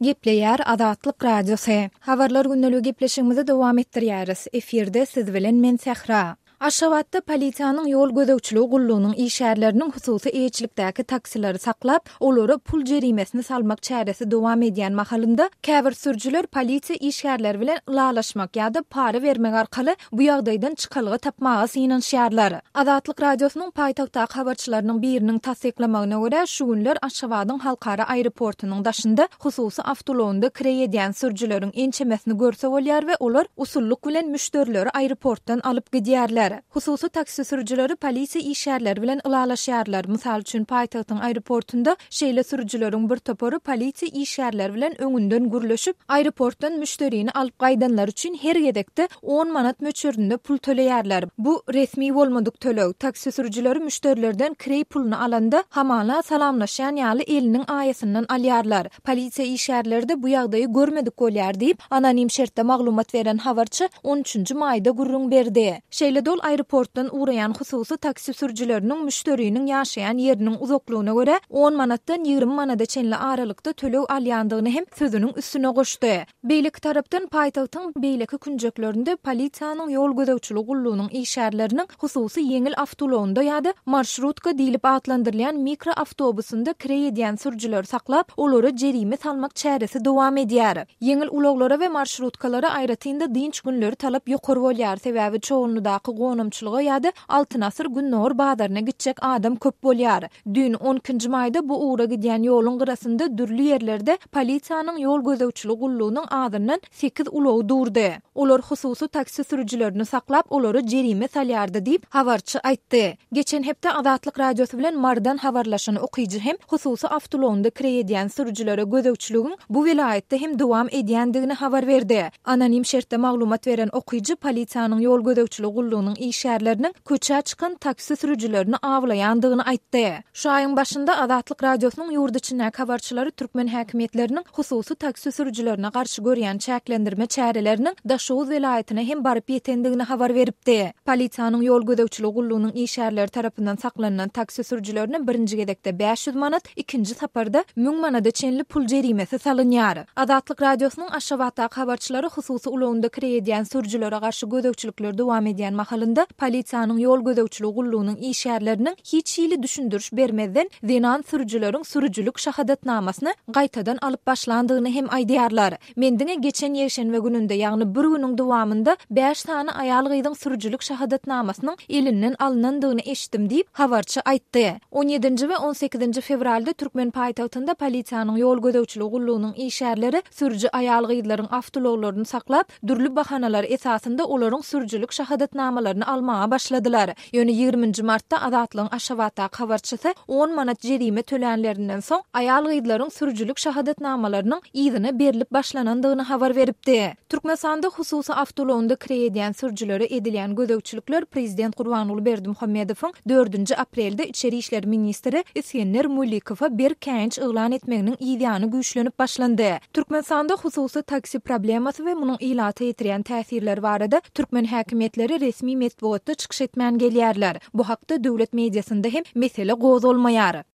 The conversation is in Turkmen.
Gepleýär Azatlyk Radiosy. Habarlar gündeligi gepleşigimizi dowam etdirýäris. Efirde siz bilen men Sähra. Aşgabatda polisiýanyň ýol gözegçiligi gullugynyň işgärleriniň hususy eýeçilikdäki taksileri saklap, olara pul jerimesini salmak çäresi dowam edýän mahalynda, käbir sürüjiler polisiýa işgärleri bilen ylalaşmak ýa-da para bermek arkaly bu ýagdaýdan çykalga tapmaga synanyşýarlar. Azatlyk Radiosynyň paýtagtdaky habarçylarynyň biriniň tassyklamagyna görä, şu günler Aşgabadyň halkara aeroportunyň daşynda hususy awtoulagynda kireý edýän sürüjileriň ençemesini görse bolýar we olar usullyk bilen müşderileri aeroportdan alyp gidýärler. Hususy taksi sürüjileri polisiýa işgärleri bilen ylalaşýarlar. Mysal üçin, paýtagtyň aeroportunda şeýle sürüjileriň bir topary polisiýa işgärleri bilen öňünden gürleşip, aeroportdan müşderini alyp gaýdanlary üçin her gezekde on manat möçberinde pul töleýärler. Bu resmi bolmadyk töleg. Taksi sürüjileri müşderilerden kireý puluny alanda, hamala salamlaşýan ýaly eliniň aýasyndan alýarlar. Polisiýa işgärleri-de bu ýagdaýy görmedik bolýar diýip, anonim şertde maglumat beren habarçy on üçünji maýda gürrüň berdi. Şeýle-de ol aeroportdan ugraýan hususy taksi sürüjileriniň müşderiniň ýaşaýan ýeriniň uzaklygyna görä on manatdan 20 manada çenli aralykda töleg alýandygyny hem sözüniň üstüne goşdy. Beýleki tarapdan, paýtagtyň beýleki künjeklerinde polisiýanyň ýol gözegçiligi gullugynyň işgärleriniň hususy ýeňil awtoulagynda ýa-da marşrutka diýlip atlandyrylýan mikroawtobusynda kireý edýän sürüjileri saklap, olara jerime salmak çäresi dowam edýär. Ýeňil ulaglara we marşrutkalara aýratyn-da dynç günleri talap ýokary bolýar, sebäbi Çoganlydaky gonamçylyga ýa-da Altyn asyr gündogar bazaryna gitjek adam köp bolýar. Düýn, on ikinji maýda bu ugra gidýän ýoluň gyrasynda dürli ýerlerde polisiýanyň ýol gözegçiligi gullugynyň azyndan sekiz ulagy durdy. Olar hususy taksi sürüjilerini saklap, olara jerime salýardy diýip, habarçy aýtdy. Geçen hepde Azatlyk Radiosy bilen Marydan habarlaşan okyjy hem hususy awtoulagynda kireý edýän sürüjilere gözegçiligiň bu welaýatda hem dowam edýändigini habar berdi. Anonim şertde maglumat beren okyjy polisiýanyň ýol gözegçiligi gullugynyň işgärleriniň köçä çykan taksi sürüjilerini awlaýandygyny aýtdy. Şu aýyň başynda Azatlyk Radiosynyň ýurt içindäki habarçylary türkmen häkimiýetleriniň hususy taksi sürüjilerine garşy görýän çäklendirme çäreleriniň Daşoguz welaýatyna hem baryp ýetendigini habar beripdi. Polisiýanyň ýol gözegçiligi gullugynyň işgärleri tarapyndan saklanylan taksi sürüjilerine birinji gezekde 500 manat, ikinji saparda müň manada çenli pul jerimesi salynýar. Azatlyk Radiosynyň Aşgabatdaky habarçylary hususy ulagynda kireý edýän sürüjilere garşy gözegçilikler dowam edýän mahalynda, polisiýanyň ýol gözegçiligi gullugynyň işgärleriniň hiç hili düşündiriş bermezden zenan sürüjileriň sürüjilik şahadatnamasyny gaýtadan alyp başlandygyny hem aýdýarlar. Men diňe geçen ýekşenbe gününde, ýagny bir günüň dowamynda bäş sany aýal-gyzyň sürüjilik şahadatnamasynyň elinden alnandygyny eşitdim diýip, habarçy aýtdy. On ýedinji we on sekizinji fewralda türkmen paýtagtynda polisiýanyň ýol gözegçiligi gullugynyň işgärleri sürüji aýal-gyzlaryň awtoulaglaryny saklap, dürli bahanalar esasynda olaryň sürüjilik şahadatnamalaryny almaga başladylar. Ýöne ýigriminji martda Azatlygyň Aşgabatdaky habarçysy on manat jerime tölänlerinden soň, aýal-gyzlaryň sürüjilik şahadatnamalarynyň yzyna berlip başlanandygyny habar beripdi. Türkmenistanda hususy awtoulagynda kireý edýän sürüjilere edilýän gözegçilikler prezident Gurbanguly Berdimuhamedowyň dördünji aprelde içeri işler ministri Isgender Mulikowa berk käýinç yglan etmeginiň yzýany güýçlenip başlandy. Türkmenistanda hususy taksi problemasy we munuň ilata ýetirýän täsirleri barada türkmen häkimiýetleri resmi metbugatda çykyş etmän gelýärler. Bu hakda döwlet mediasynda hem mesele gozgalmaýar.